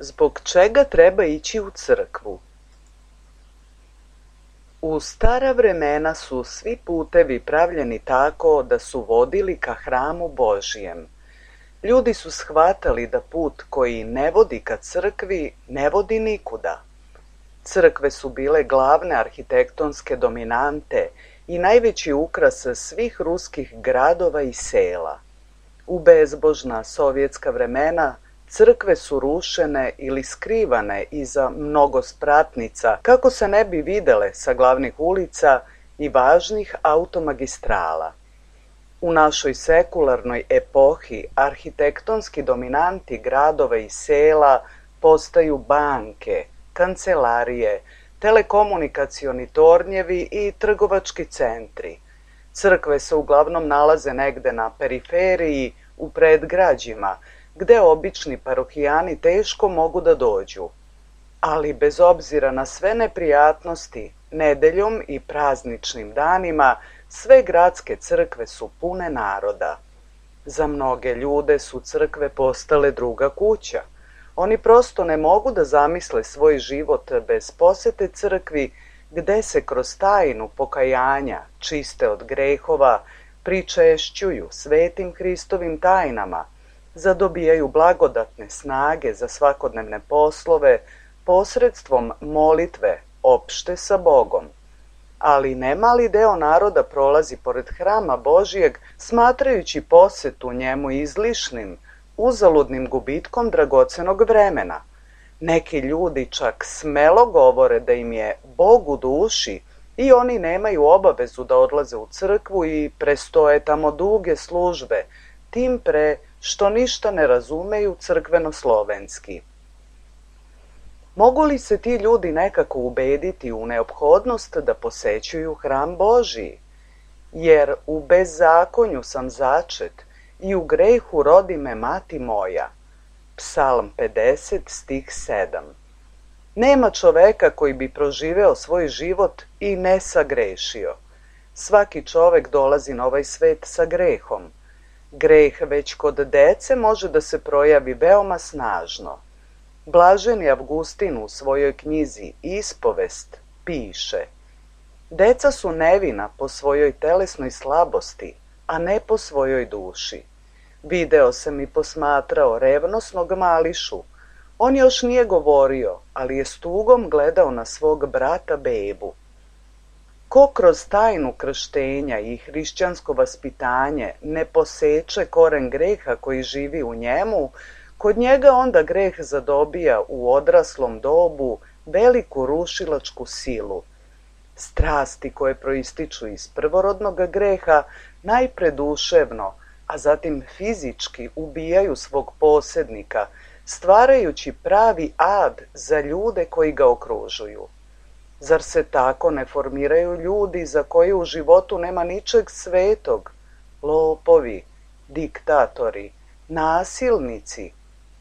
Zbog čega treba ići u crkvu? U stara vremena su svi putevi pravljeni tako da su vodili ka hramu Božijem. Ljudi su shvatali da put koji ne vodi ka crkvi ne vodi nikuda. Crkve su bile glavne arhitektonske dominante i najveći ukras svih ruskih gradova i sela. U bezbožna sovjetska vremena crkve su rušene ili skrivane iza mnogo spratnica kako se ne bi videle sa glavnih ulica i važnih automagistrala. U našoj sekularnoj epohi arhitektonski dominanti gradova i sela postaju banke, kancelarije, telekomunikacioni tornjevi i trgovački centri. Crkve se uglavnom nalaze negde na periferiji, u predgrađima, gde obični parohijani teško mogu da dođu. Ali bez obzira na sve neprijatnosti, nedeljom i prazničnim danima sve gradske crkve su pune naroda. Za mnoge ljude su crkve postale druga kuća. Oni prosto ne mogu da zamisle svoj život bez posete crkvi, gde se kroz tajnu pokajanja, čiste od grehova, pričešćuju svetim Hristovim tajnama, zadobijaju blagodatne snage za svakodnevne poslove posredstvom molitve opšte sa Bogom. Ali nemali deo naroda prolazi pored hrama Božijeg smatrajući posetu njemu izlišnim, uzaludnim gubitkom dragocenog vremena. Neki ljudi čak smelo govore da im je Bog u duši i oni nemaju obavezu da odlaze u crkvu i prestoje tamo duge službe, tim pre što ništa ne razumeju crkveno-slovenski. Mogu li se ti ljudi nekako ubediti u neophodnost da posećuju hram Božiji? Jer u bezzakonju sam začet i u grehu rodi me mati moja. Psalm 50, stih 7. Nema čoveka koji bi proživeo svoj život i ne sagrešio. Svaki čovek dolazi na ovaj svet sa grehom. Greh već kod dece može da se projavi veoma snažno. Blaženi Avgustin u svojoj knjizi Ispovest piše: deca su nevina po svojoj telesnoj slabosti, a ne po svojoj duši. Video sam i posmatrao revnosnog mališu. On još nije govorio, ali je s tugom gledao na svog brata bebu. Ko kroz tajnu krštenja i hrišćansko vaspitanje ne poseče koren greha koji živi u njemu, kod njega onda greh zadobija u odraslom dobu veliku rušilačku silu. Strasti koje proističu iz prvorodnog greha najpre duševno, a zatim fizički ubijaju svog posednika, stvarajući pravi ad za ljude koji ga okružuju. Zar se tako ne formiraju ljudi za koje u životu nema ničeg svetog? Lopovi, diktatori, nasilnici,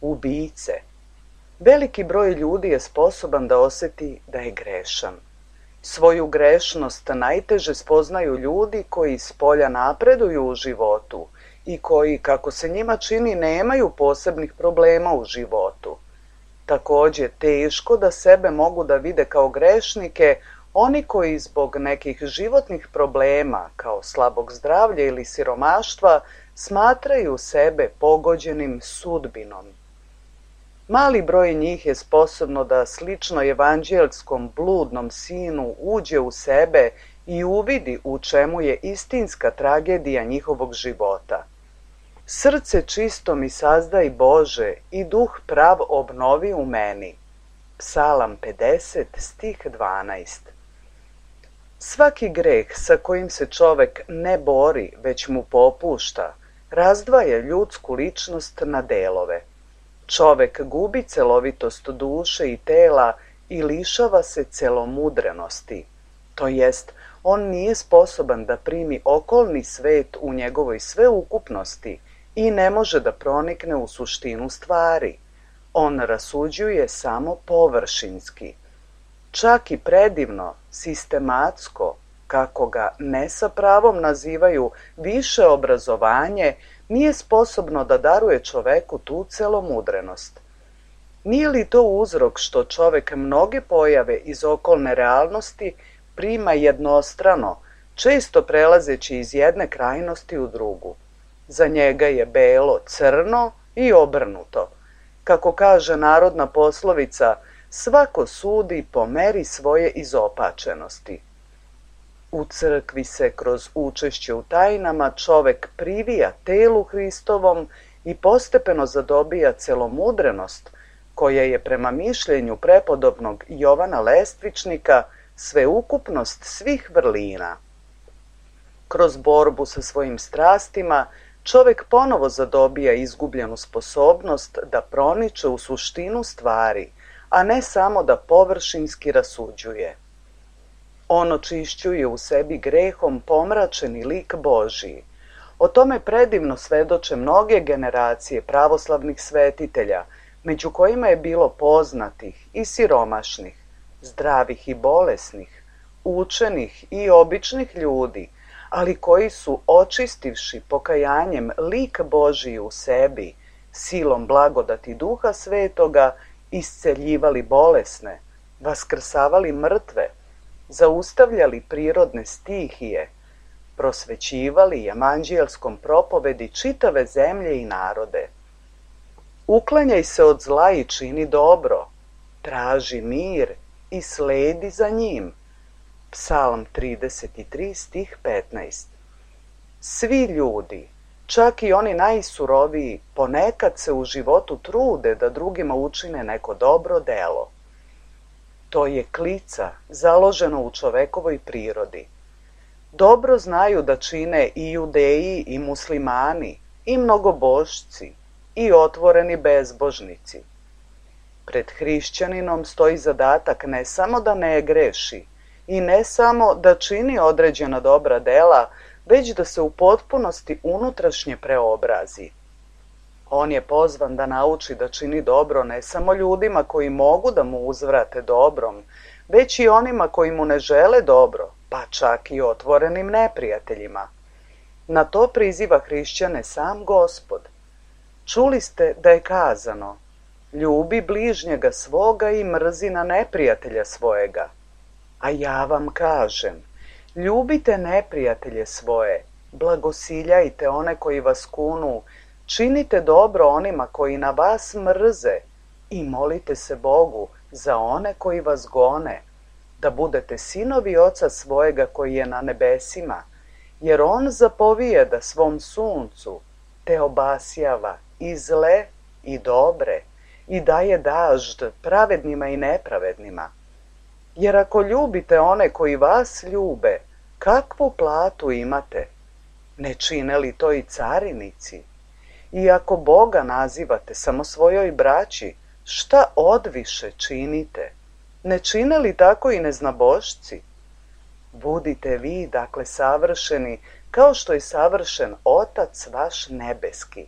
ubice. Veliki broj ljudi je sposoban da oseti da je grešan. Svoju grešnost najteže spoznaju ljudi koji spolja napreduju u životu i koji, kako se njima čini, nemaju posebnih problema u životu. Takođe, teško da sebe mogu da vide kao grešnike oni koji zbog nekih životnih problema, kao slabog zdravlja ili siromaštva, smatraju sebe pogođenim sudbinom. Mali broj njih je sposobno da slično evanđelskom bludnom sinu uđe u sebe i uvidi u čemu je istinska tragedija njihovog života. Srce čisto mi sazdaj Bože i duh prav obnovi u meni. Psalam 50, stih 12. Svaki greh sa kojim se čovek ne bori, već mu popušta, razdvaja ljudsku ličnost na delove. Čovek gubi celovitost duše i tela i lišava se celomudrenosti. To jest, on nije sposoban da primi okolni svet u njegovoj sveukupnosti i ne može da pronikne u suštinu stvari. On rasuđuje samo površinski. Čak i predivno, sistematsko, kako ga ne sa pravom nazivaju više obrazovanje, nije sposobno da daruje čoveku tu celomudrenost. Nije li to uzrok što čovek mnoge pojave iz okolne realnosti prima jednostrano, često prelazeći iz jedne krajnosti u drugu? Za njega je belo crno i obrnuto. Kako kaže narodna poslovica, svako sudi po meri svoje izopačenosti. U crkvi se kroz učešće u tajnama čovek privija telu Hristovom i postepeno zadobija celomudrenost, koja je prema mišljenju prepodobnog Jovana Lestvičnika sveukupnost svih vrlina. Kroz borbu sa svojim strastima čovek ponovo zadobija izgubljenu sposobnost da proniče u suštinu stvari, a ne samo da površinski rasuđuje. On očišćuje u sebi grehom pomračeni lik Božiji. O tome predivno svedoče mnoge generacije pravoslavnih svetitelja, među kojima je bilo poznatih i siromašnih, zdravih i bolesnih, učenih i običnih ljudi, ali koji su, očistivši pokajanjem lik Božiji u sebi, silom blagodati Duha Svetoga, isceljivali bolesne, vaskrsavali mrtve, zaustavljali prirodne stihije, prosvećivali evanđeljskom propovedi čitave zemlje i narode. Uklanjaj se od zla i čini dobro, traži mir i sledi za njim. Psalm 33, stih 15. Svi ljudi, čak i oni najsuroviji, ponekad se u životu trude da drugima učine neko dobro delo. To je klica založeno u čovekovoj prirodi. Dobro znaju da čine i judeji i muslimani, i mnogobošci, i otvoreni bezbožnici. Pred hrišćaninom stoji zadatak ne samo da ne greši i ne samo da čini određena dobra dela, već da se u potpunosti unutrašnje preobrazi. On je pozvan da nauči da čini dobro ne samo ljudima koji mogu da mu uzvrate dobrom, već i onima koji mu ne žele dobro, pa čak i otvorenim neprijateljima. Na to priziva hrišćane sam Gospod. Čuli ste da je kazano: ljubi bližnjega svoga i mrzi na neprijatelja svojega. A ja vam kažem, ljubite neprijatelje svoje, blagosiljajte one koji vas kunu, činite dobro onima koji na vas mrze i molite se Bogu za one koji vas gone, da budete sinovi Oca svojega koji je na nebesima, jer On zapovijeda svom suncu, te obasjava i zle i dobre, i daje dažd pravednima i nepravednima. Jer ako ljubite one koji vas ljube, kakvu platu imate? Ne čine li to i carinici? I ako Boga nazivate samo svojoj braći, šta odviše činite? Ne čine li tako i neznabošci? Budite vi, dakle, savršeni, kao što je savršen Otac vaš nebeski.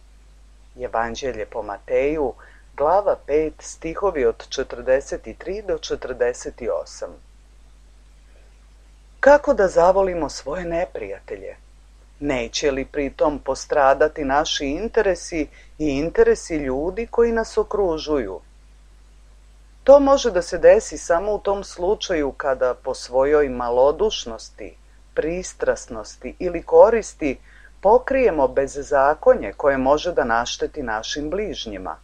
Evanđelje po Mateju, glava 5, stihovi od 43 do 48. Kako da zavolimo svoje neprijatelje? Neće li pritom postradati naši interesi i interesi ljudi koji nas okružuju? To može da se desi samo u tom slučaju kada po svojoj malodušnosti, pristrasnosti ili koristi pokrijemo bezzakonje koje može da našteti našim bližnjima.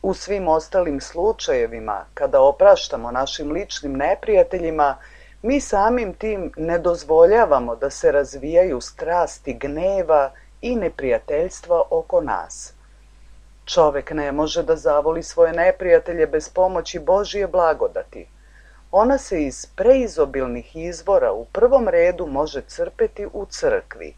U svim ostalim slučajevima, kada opraštamo našim ličnim neprijateljima, mi samim tim ne dozvoljavamo da se razvijaju strasti gneva i neprijateljstva oko nas. Čovek ne može da zavoli svoje neprijatelje bez pomoći Božije blagodati. Ona se iz preizobilnih izvora u prvom redu može crpeti u crkvi.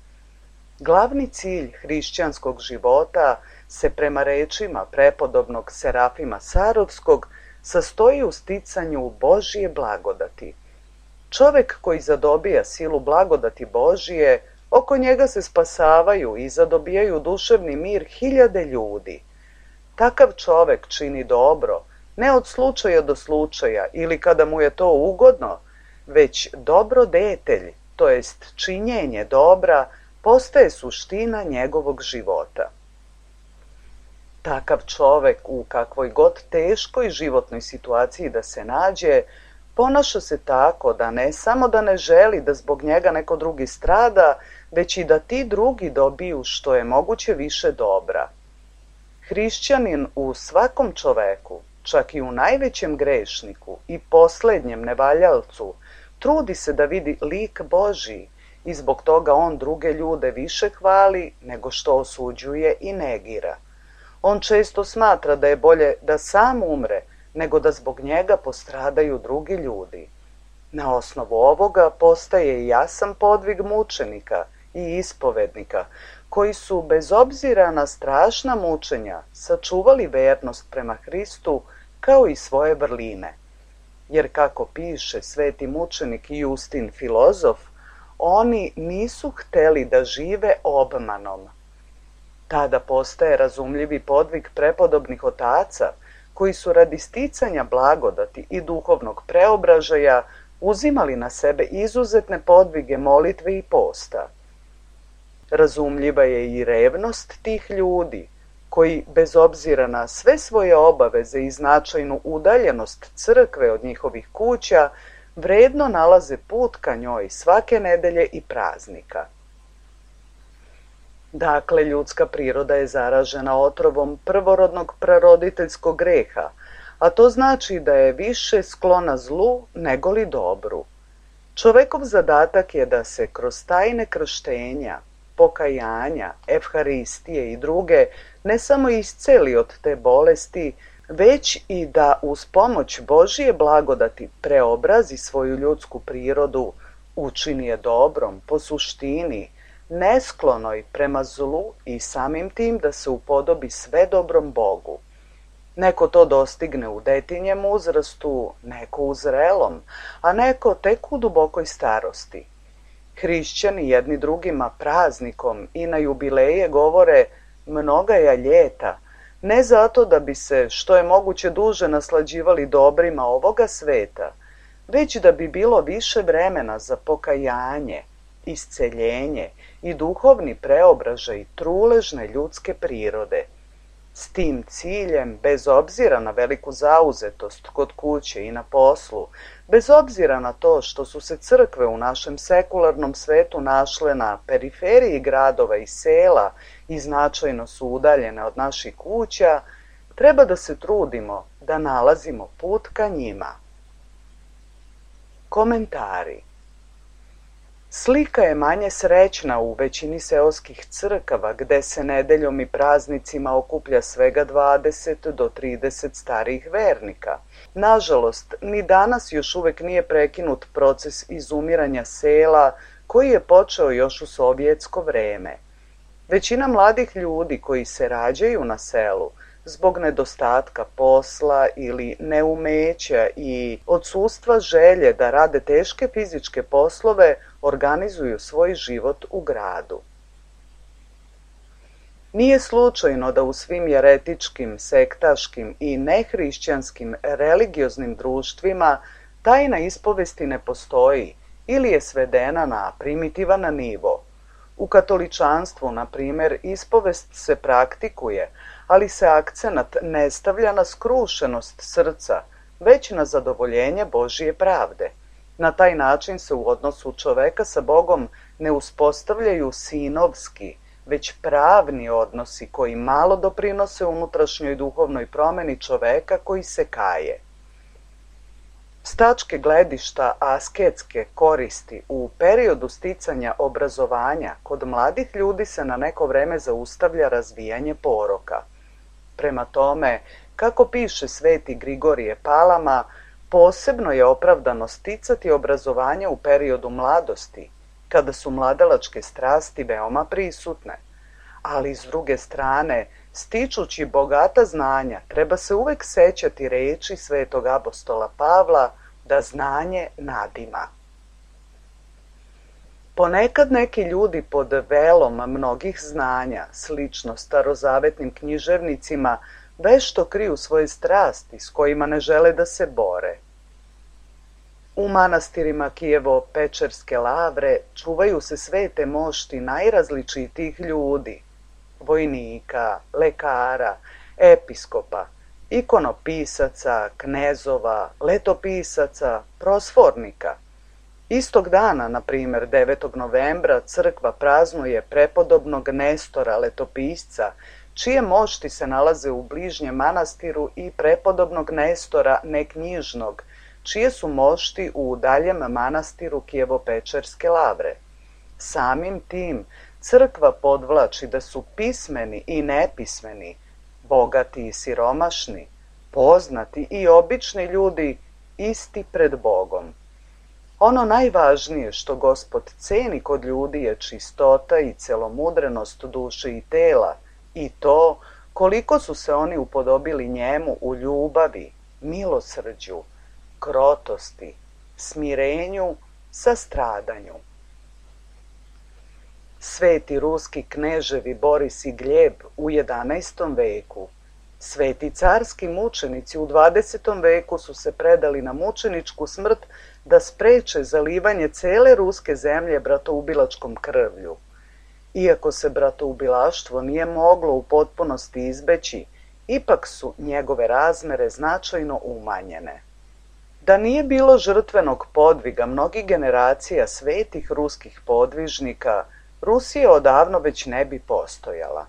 Glavni cilj hrišćanskog života se prema rečima prepodobnog Serafima Sarovskog sastoji u sticanju Božije blagodati. Čovek koji zadobija silu blagodati Božije, oko njega se spasavaju i zadobijaju duševni mir hiljade ljudi. Takav čovek čini dobro, ne od slučaja do slučaja ili kada mu je to ugodno, već dobrodetelj, to jest činjenje dobra, postaje suština njegovog života. Takav čovek u kakvoj god teškoj životnoj situaciji da se nađe, ponaša se tako da ne samo da ne želi da zbog njega neko drugi strada, već i da ti drugi dobiju što je moguće više dobra. Hrišćanin u svakom čoveku, čak i u najvećem grešniku i poslednjem nevaljalcu, trudi se da vidi lik Božji i zbog toga on druge ljude više hvali nego što osuđuje i negira. On često smatra da je bolje da sam umre nego da zbog njega postradaju drugi ljudi. Na osnovu ovoga postaje jasan podvig mučenika i ispovednika, koji su, bez obzira na strašna mučenja, sačuvali vernost prema Hristu kao i svoje vrline. Jer kako piše sveti mučenik Justin filozof, oni nisu hteli da žive obmanom. Tada postaje razumljivi podvig prepodobnih otaca, koji su radi sticanja blagodati i duhovnog preobražaja uzimali na sebe izuzetne podvige molitve i posta. Razumljiva je i revnost tih ljudi, koji, bez obzira na sve svoje obaveze i značajnu udaljenost crkve od njihovih kuća, vredno nalaze put ka njoj svake nedelje i praznika. Dakle, ljudska priroda je zaražena otrovom prvorodnog praroditeljskog greha, a to znači da je više sklona zlu nego li dobru. Čovekov zadatak je da se kroz tajne krštenja, pokajanja, evharistije i druge ne samo isceli od te bolesti, već i da uz pomoć Božije blagodati preobrazi svoju ljudsku prirodu, učini je dobrom, po suštini, nesklonoj prema zlu i samim tim da se upodobi sve dobrom Bogu. Neko to dostigne u detinjem uzrastu, neko u zrelom, a neko tek u dubokoj starosti. Hrišćani jedni drugima praznikom i na jubileje govore mnogaja ljeta, ne zato da bi se što je moguće duže naslađivali dobrima ovoga sveta, već da bi bilo više vremena za pokajanje, isceljenje i duhovni preobražaj truležne ljudske prirode. S tim ciljem, bez obzira na veliku zauzetost kod kuće i na poslu, bez obzira na to što su se crkve u našem sekularnom svetu našle na periferiji gradova i sela i značajno su udaljene od naših kuća, treba da se trudimo da nalazimo put ka njima. Komentari. Slika je manje srećna u većini seoskih crkava gde se nedeljom i praznicima okuplja svega 20 do 30 starijih vernika. Nažalost, ni danas još uvek nije prekinut proces izumiranja sela koji je počeo još u sovjetsko vreme. Većina mladih ljudi koji se rađaju na selu zbog nedostatka posla ili neumeća i odsustva želje da rade teške fizičke poslove, organizuju svoj život u gradu. Nije slučajno da u svim jeretičkim, sektaškim i nehrišćanskim religioznim društvima tajna ispovesti ne postoji ili je svedena na primitivan nivo. U katoličanstvu, na primer, ispovest se praktikuje, ali se akcenat ne stavlja na skrušenost srca, već na zadovoljenje Božije pravde. Na taj način se u odnosu čoveka sa Bogom ne uspostavljaju sinovski, već pravni odnosi koji malo doprinose unutrašnjoj duhovnoj promeni čoveka koji se kaje. S tačke gledišta asketske koristi u periodu sticanja obrazovanja kod mladih ljudi se na neko vreme zaustavlja razvijanje poroka. Prema tome, kako piše sveti Grigorije Palama, posebno je opravdano sticati obrazovanje u periodu mladosti, kada su mladalačke strasti veoma prisutne. Ali s druge strane, stičući bogata znanja, treba se uvek sećati reči svetog apostola Pavla da znanje nadima. Ponekad neki ljudi pod velom mnogih znanja, slično starozavetnim književnicima, vešto kriju svoje strasti s kojima ne žele da se bore. U manastirima Kijevo-Pečerske lavre čuvaju se svete mošti najrazličitijih ljudi, vojnika, lekara, episkopa, ikonopisaca, knezova, letopisaca, prosfornika. Istog dana, na primjer 9. novembra, crkva praznuje prepodobnog Nestora letopisca, čije mošti se nalaze u bližnjem manastiru, i prepodobnog Nestora neknjižnog, čije su mošti u daljem manastiru Kijevo-Pečerske lavre. Samim tim, crkva podvlači da su pismeni i nepismeni, bogati i siromašni, poznati i obični ljudi isti pred Bogom. Ono najvažnije što Gospod ceni kod ljudi je čistota i celomudrenost duše i tela, i to koliko su se oni upodobili njemu u ljubavi, milosrđu, krotosti, smirenju, sastradanju. Sveti ruski kneževi Boris i Gljeb u 11. veku, sveti carski mučenici u 20. veku su se predali na mučeničku smrt da spreče zalivanje cele ruske zemlje bratoubilačkom krvlju. Iako se bratoubilaštvo nije moglo u potpunosti izbeći, ipak su njegove razmere značajno umanjene. Da nije bilo žrtvenog podviga mnogih generacija svetih ruskih podvižnika, Rusija odavno već ne bi postojala.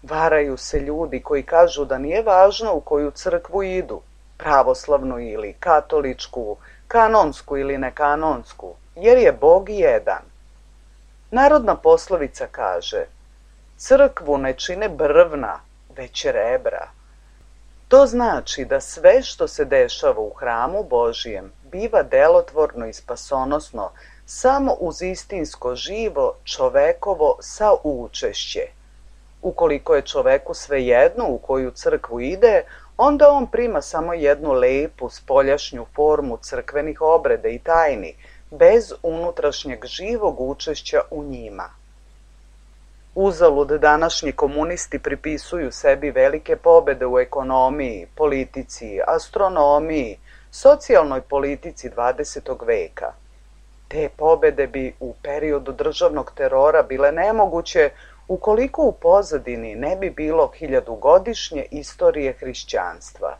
Varaju se ljudi koji kažu da nije važno u koju crkvu idu, pravoslavnu ili katoličku, kanonsku ili nekanonsku, jer je Bog jedan. Narodna poslovica kaže: crkvu ne čine brvna, već rebra. To znači da sve što se dešava u hramu Božijem biva delotvorno i spasonosno samo uz istinsko živo čovekovo saučešće. Ukoliko je čoveku svejedno u koju crkvu ide, onda on prima samo jednu lepu spoljašnju formu crkvenih obreda i tajni, bez unutrašnjeg živog učešća u njima. Uzalud današnji komunisti pripisuju sebi velike pobede u ekonomiji, politici, astronomiji, socijalnoj politici 20. veka. Te pobede bi u periodu državnog terora bile nemoguće ukoliko u pozadini ne bi bilo 1000-godišnje istorije hrišćanstva.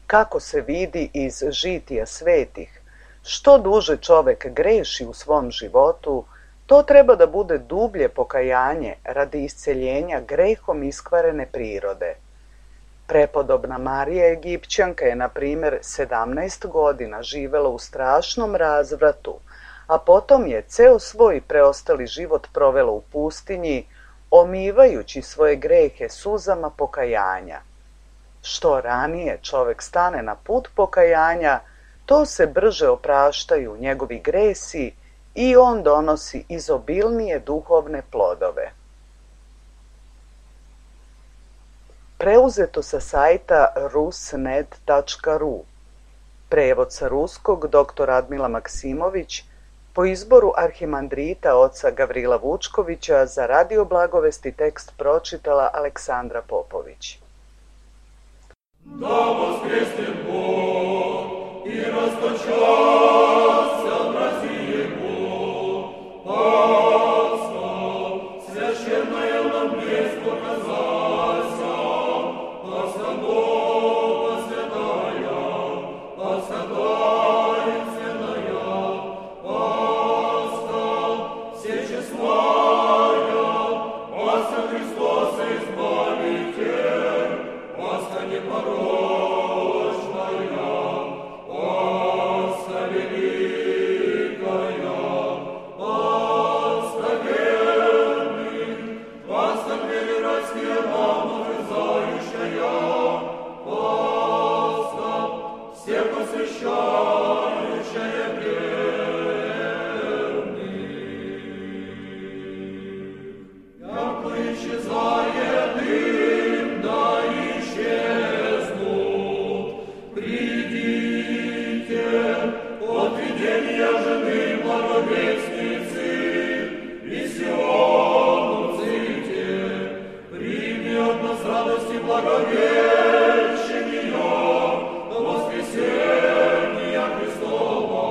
Kako se vidi iz žitija svetih, što duže čovek greši u svom životu, to treba da bude dublje pokajanje radi isceljenja grehom iskvarene prirode. Prepodobna Marija Egipćanka je, na primjer, 17 godina živela u strašnom razvratu, a potom je ceo svoj preostali život provela u pustinji, omivajući svoje grehe suzama pokajanja. Što ranije čovek stane na put pokajanja, to se brže opraštaju njegovi gresi i on donosi izobilnije duhovne plodove. Preuzeto sa sajta rusnet.ru. Prevod sa ruskog dr. Admila Maksimović, po izboru arhimandrita oca Gavrila Vučkovića. Za Radio Blagovesti tekst pročitala Aleksandra Popović. Da voskresne Bog i rastočася mrazi Bog, Пасха, священная нам блеск показася, Пасха Бога святая, Пасха таинственная, Пасха всечестная, Пасха Христоса Избавитель, Пасха непорочная, Пасха великая, Пасха верных, Пасха переродские нам ужизающая, Пасха всех посвящающая верных. Яко исчезает дым, да исчезнут, придите от видения жены благовестницы, и Сиону ците, прими от нас радости благовещения, воскресения Христова,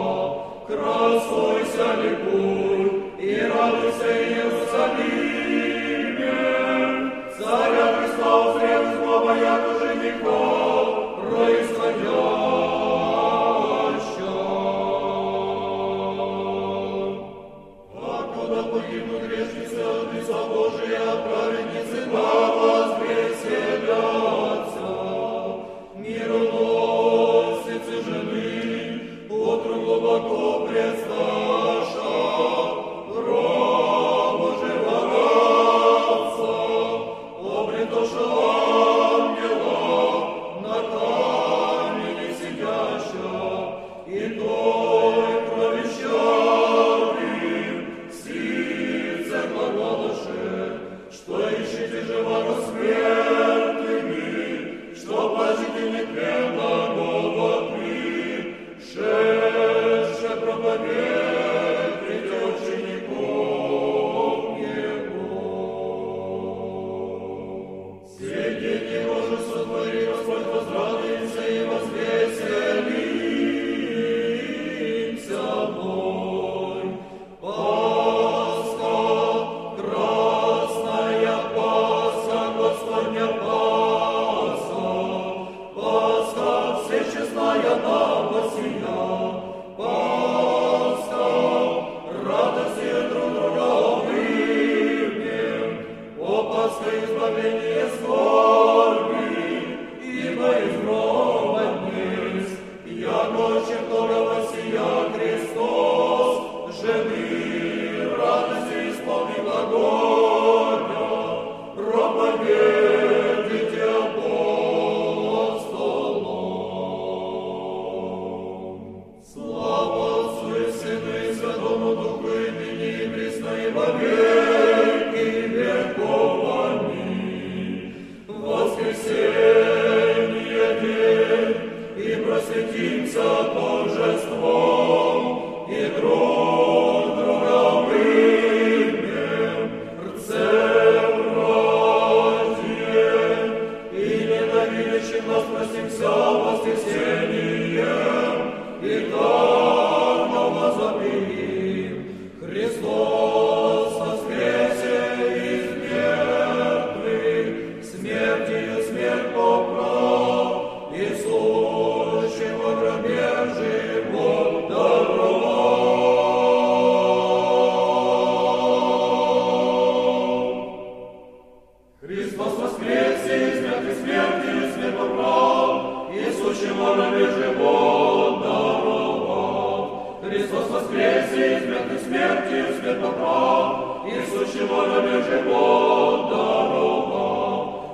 красуйся, ликуй, и радуйся, Иерусалиме, царь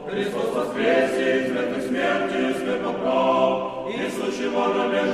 Христос воскресе, смертью смерть поправ, и сущего на